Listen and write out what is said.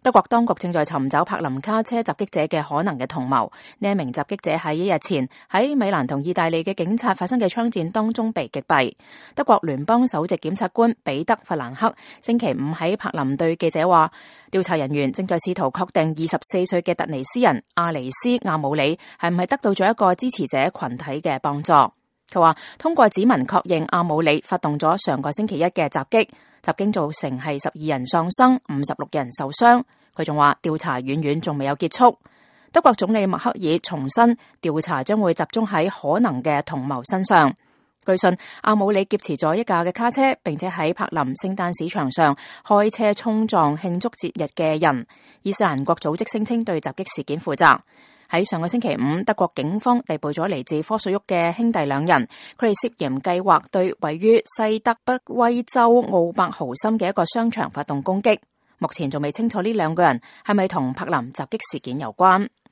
德國當局正在尋找柏林卡車襲擊者嘅可能嘅同謀。呢一名襲擊者喺1日前喺米蘭同意大利嘅警察發生嘅槍戰當中被擊斃。德國聯邦首席檢察官彼得弗蘭克星期五喺柏林對記者話，調查人員正在試圖確定24歲嘅突尼斯人阿尼斯亞姆里係唔係得到咗一個支持者群體嘅幫助。佢話通過指紋確認阿姆里發動咗上個星期一嘅襲擊，襲擊造成係12人喪生，56人受傷。佢仲話調查遠遠仲未有結束。德國總理默克爾重申調查將會集中喺可能嘅同謀身上。據信阿姆里劫持咗一架嘅卡車，並且喺柏林聖誕市場上開車衝撞慶祝節日嘅人。伊斯蘭國組織聲稱對襲擊事件負責。喺上個星期五，德國警方逮捕咗嚟自科索沃嘅兄弟2人，佢哋涉嫌計劃對位於西德北威州奧伯豪森嘅一個商場發動攻擊。目前仲未清楚呢2個人係咪同柏林襲擊事件有關。